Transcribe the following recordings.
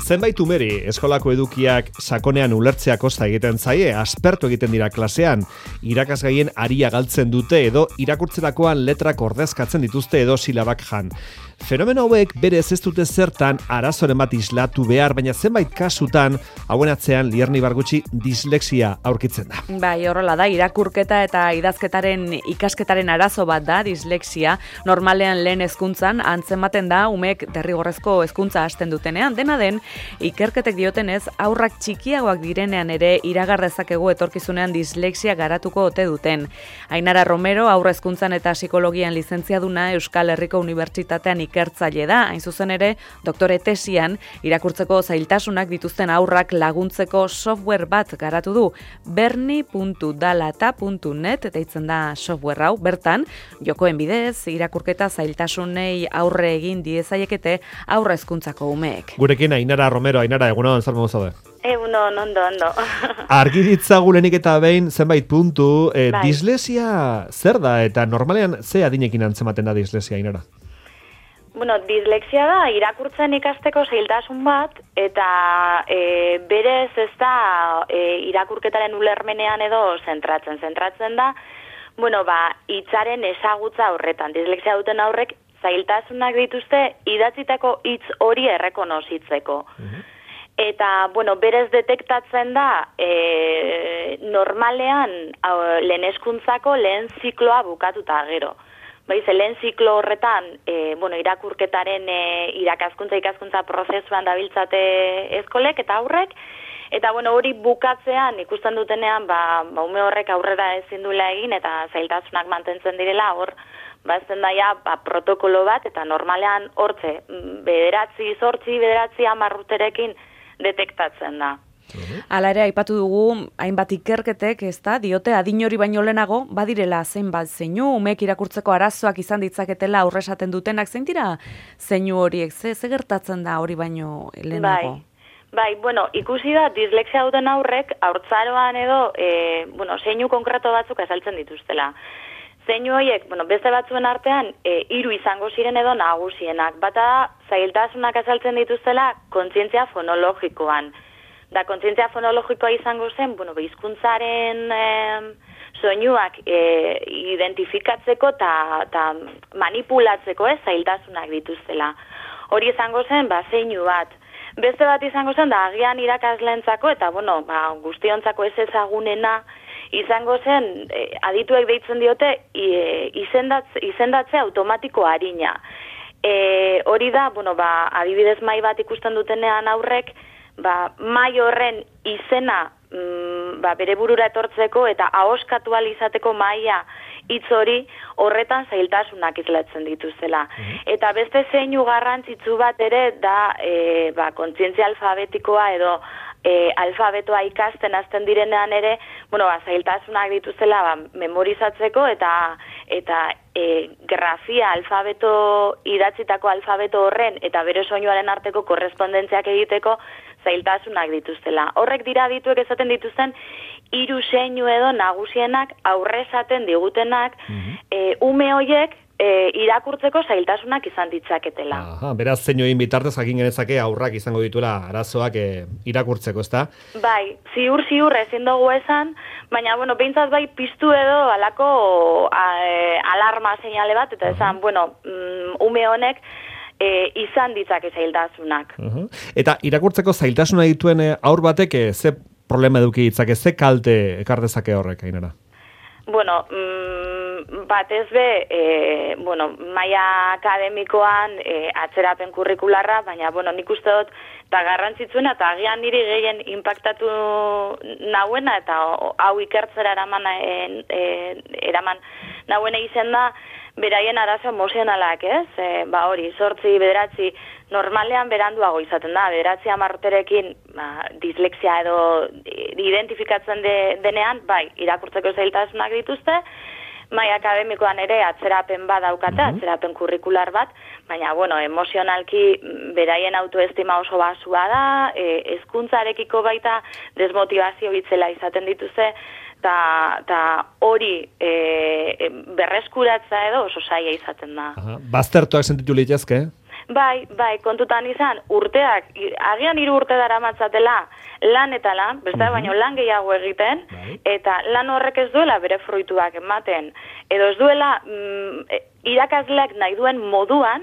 Zenbait umeri eskolako edukiak sakonean ulertzea kosta egiten zaie, aspertu egiten dira klasean, irakasgaien aria galtzen dute edo irakurtzerakoan letrak ordezkatzen dituzte edo silabak jan. Fenomeno hauek berez ez dute zertan arazoren bat islatu behar, baina zenbait kasutan hauen atzean lierni bargutxi dislexia aurkitzen da. Bai, horrela da, irakurketa eta idazketaren ikasketaren arazo bat da dislexia. Normalean lehen hezkuntzan antzematen da umek derrigorrezko hezkuntza hasten dutenean. Dena den, ikerketek diotenez, aurrak txikiagoak direnean ere iragar dezakegu etorkizunean dislexia garatuko ote duten. Ainara Romero, aurre hezkuntzan eta psikologian lizentziaduna Euskal Herriko Unibertsitatean ikertzaile da, hain zuzen ere, doktore tesian irakurtzeko zailtasunak dituzten aurrak laguntzeko software bat garatu du. berni.dalata.net deitzen da software hau, bertan, jokoen bidez, irakurketa zailtasunei aurre egin diezaiekete aurre hezkuntzako umeek. Gurekin Ainara Romero, Ainara, egunon, zer modu zaude? Egunon, ondo. Argi ditzagu lehenik eta behin zenbait puntu, dislexia zer da eta normalean ze adinekin antzematen da dislexia, Ainara? Bueno, dislexia da irakurtzen ikasteko zailtasun bat, eta berez ez da irakurketaren ulermenean edo zentratzen da, bueno, hitzaren ezagutza horretan. Dislexia duten aurrek zailtasunak dituzte idatzitako hitz hori errekonozitzeko. Eta, bueno, berez detektatzen da normalean lehen hezkuntzako lehen zikloa bukatuta gero. Lehen ziklo horretan, irakurketaren ikaskuntza prozesuan dabiltzate eskolek eta aurrek, eta hori bukatzean ikusten dutenean, ume horrek aurrera ezin duela egin eta zailtasunak mantentzen direla, hor, ezten daia protokolo bat, eta normalean hortze, 9-10 urterekin detektatzen da. Hala ere, aipatu dugu, hainbat ikerketek, diote adin hori baino lehenago, badirela zenbat zeinu, umeek irakurtzeko arazoak izan ditzaketela aurre esaten dutenak, zein dira zeinu horiek, ze gertatzen da hori baino lehenago? Bai, ikusi da, dislexia duten aurrek, haurtzaroan edo, zeinu konkreto batzuk azaltzen dituztela. Zeinu horiek, beste batzuen artean, 3 izango ziren edo nagusienak. Bata da, zailtasunak azaltzen dituztela kontzientzia fonologikoan. Da, kontzientzia fonologikoa izango zen, hizkuntzaren soinuak identifikatzeko eta manipulatzeko zailtasunak dituztela. Hori izango zen, zeinu bat. Beste bat izango zen, da, agian irakasleentzako eta, guztiontzako ez ezagunena izango zen, adituek deitzen diote, izendatze automatiko arina. Hori da, adibidez mai bat ikusten dutenean aurrek, mai horren izena bere burura etortzeko eta ahoskatu ahal izateko maila hitz hori horretan zailtasunak islatzen dituzela. Eta beste zeinu garrantzitsu bat ere da kontzientzia alfabetikoa edo alfabetoa ikasten hasten direnean ere, zailtasunak dituzela memorizatzeko eta grafia idatzitako alfabeto horren eta bere soinuaren arteko korrespondentziak egiteko zailtasunak dituztela. Horrek dira adituek esaten dituzten 3 zeinu edo nagusienak aurre esaten digutenak ume horiek irakurtzeko zailtasunak izan ditzaketela. Beraz, zeinuin bitartez jakin genezake aurrak izango dituela arazoak irakurtzeko, ezta? Bai, ziur ezin dugu esan, baina, behintzat bai piztu edo alako alarma seinale bat, eta esan, ume honek izan ditzake zailtasunak. Eta irakurtzeko zailtasuna dituen aur batek ze problema eduki ditzake, ze kalte ekar dezake horrek, Ainara? Batez be, maila akademikoan atzerapen kurrikularra, baina, nik uste dut, eta garrantzitsuena, eta agian niri gehien impactatu nauena, eta hau ikertzera eraman nauena izen da, beraien arazo emozionalak, ez? Hori, 8-9, normalean beranduago izaten da, 9-10 urterekin dislexia edo identifikatzen denean, irakurtzeko zailtasunak dituzte, mai akademikoan ere atzerapen bat daukate, atzerapen kurrikular bat, baina, emozionalki beraien autoestima oso basua da, hezkuntzarekiko baita desmotivazio bitzela izaten dituzte, eta hori berreskuratza edo oso zaila izaten da. Baztertuak sentitu litezke? Bai, kontutan izan, urteak, agian 3 urte daramatzatela lan eta lan, beste baino lan gehiago egiten, eta lan horrek ez duela bere fruituak ematen. Edo ez duela irakasleak nahi duen moduan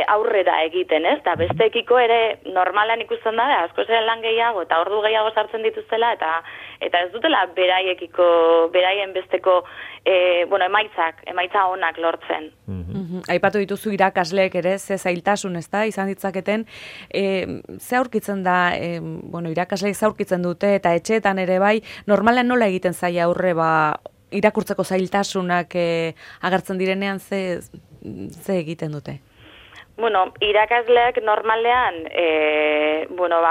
aurrera egiten, ez? Eta bestekiko ere normalan ikusten da, asko zen lan gehiago eta ordu gehiago sartzen dituztela, eta ez dutela beraien besteko emaitza onak lortzen. Aipatu dituzu irakasleek ere, ze zailtasun, ez da, izan ditzaketen, ze aurkitzen da, irakasleek ze aurkitzen dute, eta etxeetan ere bai, normalean nola egiten zaila aurre, irakurtzeko zailtasunak agertzen direnean, ze egiten dute? Irakasleak normalean,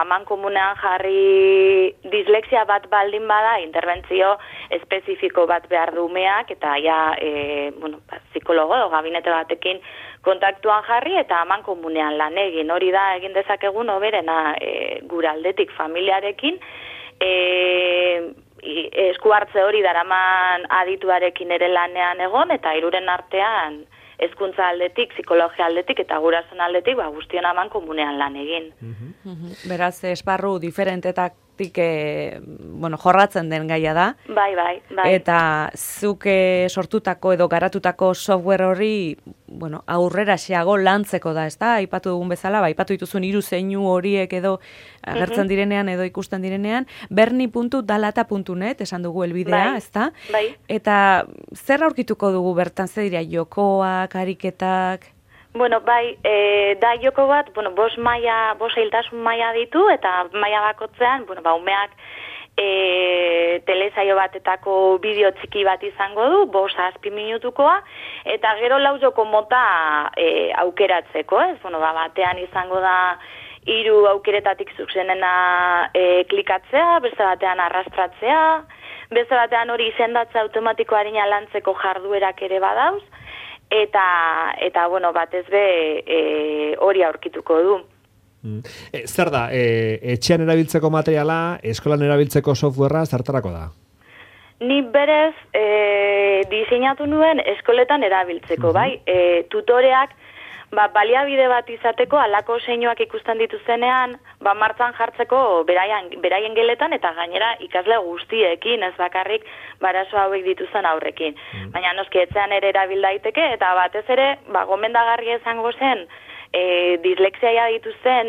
mankomunean jarri dislexia bat baldin bada, interbentzio espezifiko bat behar du umeak, eta psikologo edo gabinete batekin kontaktuan jarri, eta mankomunean lan egin. Hori da, egin dezakegun oberena gure aldetik familiarekin, esku hartze hori daraman adituarekin ere lanean egon, eta hiruren artean hezkuntza aldetik, psikologia aldetik eta gurasoen aldetik guztion aman komunean lan egin. Beraz, esparru diferentetatik jorratzen den gaia da. Bai. Eta zuk sortutako edo garatutako software hori, aurrera xeago lantzeko da, ez da? Aipatu dugun bezala, aipatu dituzun 3 zeinu horiek edo agertzen direnean edo ikusten direnean, berni.dalata.net esan dugu helbidea, ez da? Bai. Eta zer aurkituko dugu bertan, ze dira, jokoak, ariketak? Da joko bat, 5 zailtasun maila ditu, eta maila bakotzean, umeak telesaio batetako bideo txiki bat izango du, 5-6 minutukoa, eta gero 4 joko mota aukeratzeko, ez? Batean izango da 3 aukeretatik zuzenena klikatzea, beste batean arrastratzea, beste batean hori izendatze automatikoaren lantzeko jarduerak ere badauz, eta batez be hori aurkituko du. Zer da, etxean erabiltzeko materiala, eskolan erabiltzeko softwarea zertarako da? Ni berez diseinatu nuen eskoletan erabiltzeko, bai? Tutoreak baliabide bat izateko, alako zeinuak ikusten dituzenean, martzan jartzeko beraien geletan, eta gainera ikasle guztiekin, ez bakarrik barazo hauek dituzen aurrekin. Baina noski etxean ere erabil daiteke, eta batez ere, gomendagarria izango zen, dislexia dituzten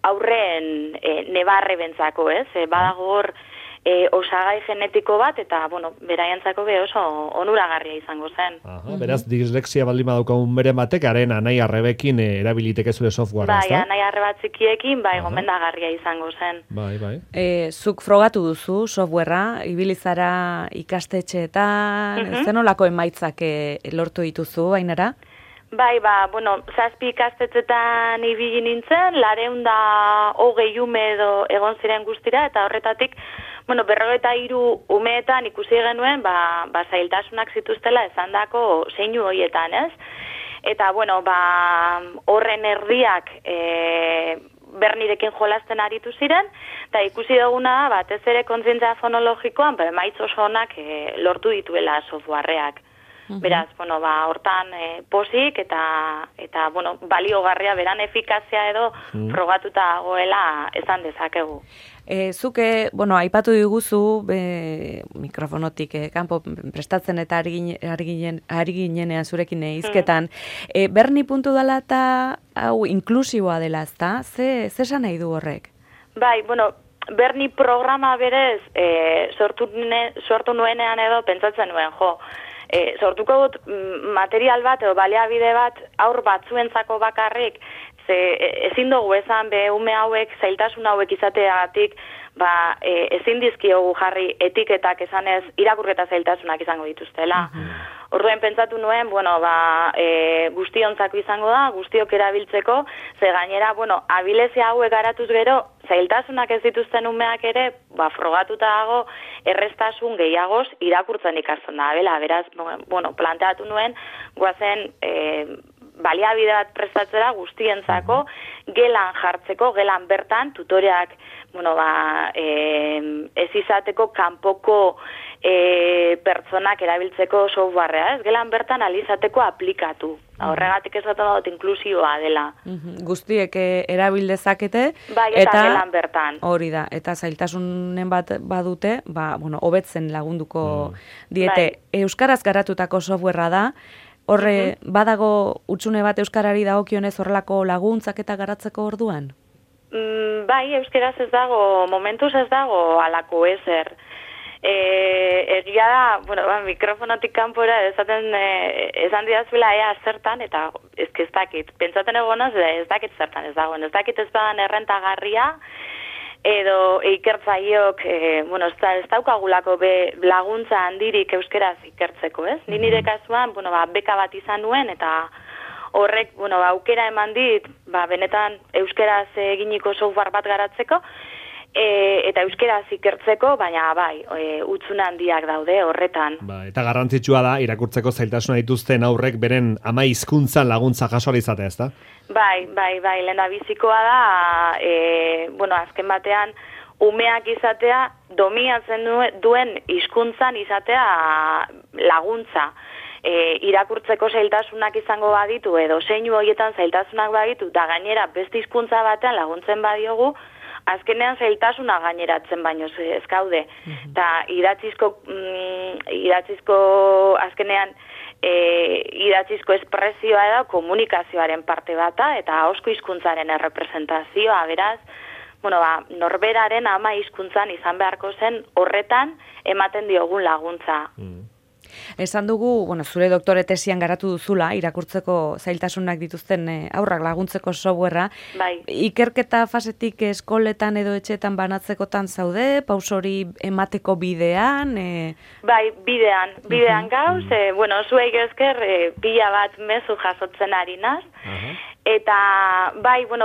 aurreen nebarre bentzako, ez? Badago hor osagai genetiko bat, eta, beraientzako oso onuragarria izango zen. Beraz, dislexia baldin badaukagun bere batek, haren anai arrebekin erabiliteke zure softwarea, ez da? Bai, anai arreba txikiekin, gomendagarria izango zen. Bai. Zuk frogatu duzu softwarea, ibilizara ikastetxeetan, zenolako emaitzak lortu dituzu, Ainara? Bai, 7 ikastetxetan ibili nintzen, 220 ume edo egon ziren guztira, eta horretatik, 53 umeetan ikusi genuen, zailtasunak zituztela esandako zeinu horietan, ez? Eta, horren erdiak bernirekin jolasten aritu ziren, eta ikusi duguna, batez ere kontzientzia fonologikoan, emaitz oso onak lortu dituela softwareak. Beraz, hortan posik eta baliogarria beran efikazia edo frogatuta goela esan dezakegu. Zuke, aipatu diguzu mikrofonotik kanpo prestatzen eta ari ginenean zurekin hizketan. Berni.dalata hau inklusiboa dela, ezta? Ze esan nahi du horrek? Bai, Berni programa berez sortu nuenean edo pentsatzen nuen, sortuko dut material bat edo baliabide bat aur batzuentzako bakarrik, ezin dugu esan ume hauek zailtasun hauek izateagatik ezin dizkiogu jarri etiketak esanez irakurketa zailtasunak izango dituztela. Orduen pentsatu nuen, guztiontzako izango da, guztiok erabiltzeko, ze gainera, abilezia hauek garatuz gero, zailtasunak ez dituzten umeak ere, frogatuta dago, errestasun gehiagoz irakurtzen ikasten da. Beraz, planteatu nuen, guazen baliabide bat prestatzera guztientzako, gelan jartzeko, gelan bertan, tutoreak ez izateko kanpoko pertsonak erabiltzeko softwarea, ez? Gelan bertan alizateko aplikatu. Horregatik esaten dut inklusioa dela. Guztiek erabil dezakete. Bai, eta gelan bertan. Hori da, eta zailtasunen bat badute, hobetzen lagunduko diete. Euskaraz garatutako softwarea da, horre badago hutsune bat euskarari dagokionez horrelako laguntzak eta garatzeko orduan? Bai, euskaraz ez dago, momentuz ez dago alako ezer. Egia da, mikrofonotik kanpora esan didazuela ea zertan, eta ez dakit. Pentsaten egonaz, ez dakit zertan ez dagoen. Ez dakit ez badan errentagarria, edo ikertzaileok, ez daukagulako laguntza handirik euskeraz ikertzeko, ez? Ni nire kasuan, beka bat izan nuen, eta horrek, aukera eman dit, benetan euskeraz eginiko software bat garatzeko, eta euskeraz ikertzeko, baina hutsune handiak daude horretan. Eta garrantzitsua da, irakurtzeko zailtasuna dituzten aurrek beren ama hizkuntzan laguntza jaso izatea, ezta? Bai, lehendabizikoa da, azken batean, umeak izatea, dominatzen duen hizkuntzan izatea laguntza. Irakurtzeko zailtasunak izango baditu, edo zeinu horietan zailtasunak baditu, da gainera beste hizkuntza batean laguntzen badiogu, azkenean zailtasuna gaineratzen baino ez gaude. Eta idatzizko azkenean idatzizko espresioa da komunikazioaren parte bata eta ahozko hizkuntzaren errepresentazioa, beraz, norberaren ama hizkuntzan izan beharko zen horretan ematen diogun laguntza. Esan dugu, zure doktore tesian garatu duzula, irakurtzeko zailtasunak dituzten aurrak laguntzeko softwarea. Bai. Ikerketa fasetik eskoletan edo etxetan banatzekotan zaude, pausori emateko bidean? Bai, bidean gauz, zuei esker pila bat mezu jasotzen ari naz. Eta,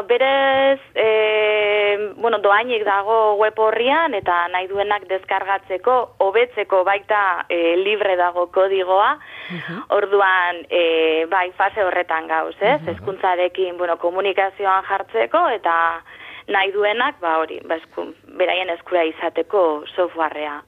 berez, doainik dago web horrian, eta nahi duenak deskargatzeko, hobetzeko baita libre dago kodigoa, orduan, fase horretan gauz, ez? Hezkuntzarekin, komunikazioan jartzeko, eta nahi duenak, beraien eskura izateko softwarea.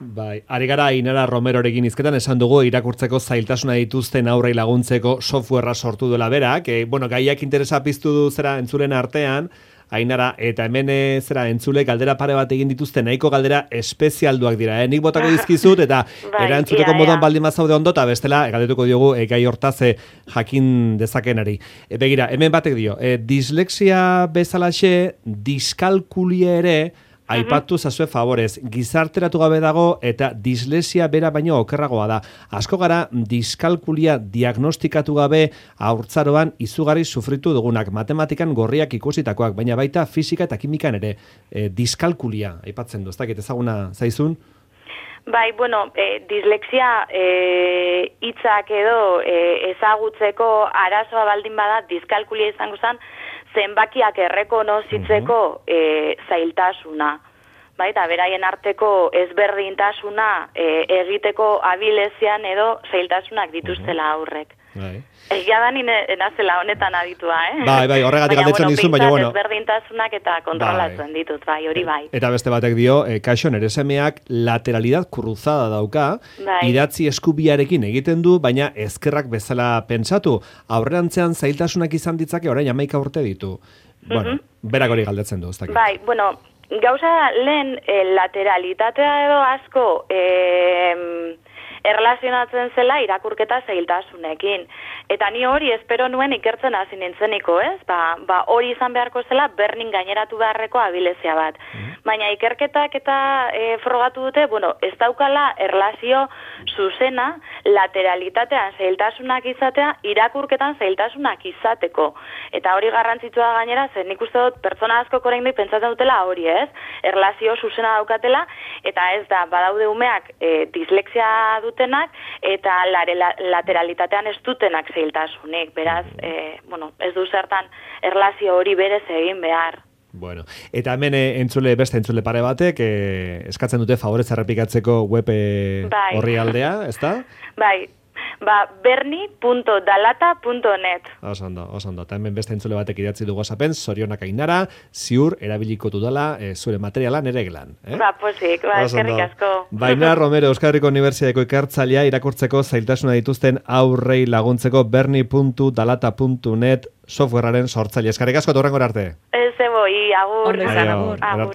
Ari gara Ainara Romerorekin hizketan esan dugu irakurtzeko zailtasuna dituzten aurrei laguntzeko softwarea sortu duela berak. Gaiak interesa piztu du zera entzulen artean, Ainara, eta hemen entzule galdera pare bat egin dituzte, nahiko galdera espezialduak dira. Nik botako dizkizut, eta erantzuteko moduan baldin mazaude ondo, eta bestela, galdetuko diogu gai hortaz jakin dezakenari. Begira, hemen batek dio, dislexia bezalaxe, diskalkulia ere, aipatu zazue favorez, gizarteratu gabe dago eta dislexia bera baino okerragoa da. Asko gara diskalkulia diagnostikatu gabe haurtzaroan izugarri sufritu dugunak, matematikan gorriak ikusitakoak, baina baita fisika eta kimikan ere diskalkulia aipatzen du, ez dakit ezaguna zaizun? Dislexia hitzak edo ezagutzeko arazoa baldin bada, diskalkulia izango zen, zenbakiak errekonozitzeko zailtasuna. Eta beraien arteko ezberdintasuna egiteko abilezian edo zailtasunak dituztela aurrek. Egia da nazela honetan aditua, horregatik galdetzen dizun, baina ezberdintasunak eta kontrolatzen ditut, hori bai. Eta beste batek dio, kaixo nere semeak lateralidad cruzada dauka, idatzi eskubiarekin egiten du, baina ezkerrak bezala pentsatu, aurrerantzean zailtasunak izan ditzake orain 11 urte ditu. Berak hori galdetzen du, ez dakit. Gauza lehen lateralitatea edo asko erlazionatzen zela irakurketa zailtasunekin. Eta ni hori espero nuen ikertzen hasi nintzeniko, ez? Hori izan beharko zela bernin gaineratu beharreko abilezia bat. Baina ikerketak eta frogatu dute, ez daukala erlazio zuzena lateralitatean zailtasunak izatea irakurketan zailtasunak izateko. Eta hori garrantzitsua gainera, zen nik uste dut pertsona asko oraindik pentsatzen dutela hori, ez? Erlazio zuzena daukatela, eta ez da, badaude umeak dislexia dutenak, eta lateralitatean ez dutenak zailtasunik. Beraz, ez du zertan erlazio hori berez egin behar. Eta hemen beste entzule pare batek eskatzen dute favorez errepikatzeko web horri aldea, ezta? berni.dalata.net. Oso ondo. Eta hemen beste entzule batek idatzi du WhatsAppen, zorionak Ainara, ziur erabiliko dudala zure materiala nere gelan. Posik, eskerrik asko. Baina Romero, Euskal Herriko Unibertsitateko ikertzailea irakurtzeko zailtasuna dituzten aurrei laguntzeko berni.dalata.net softwarearen sortzaile. Eskerrik asko, torrengora arte. Ez eboi, agur. Ondo izan, agur. Agur.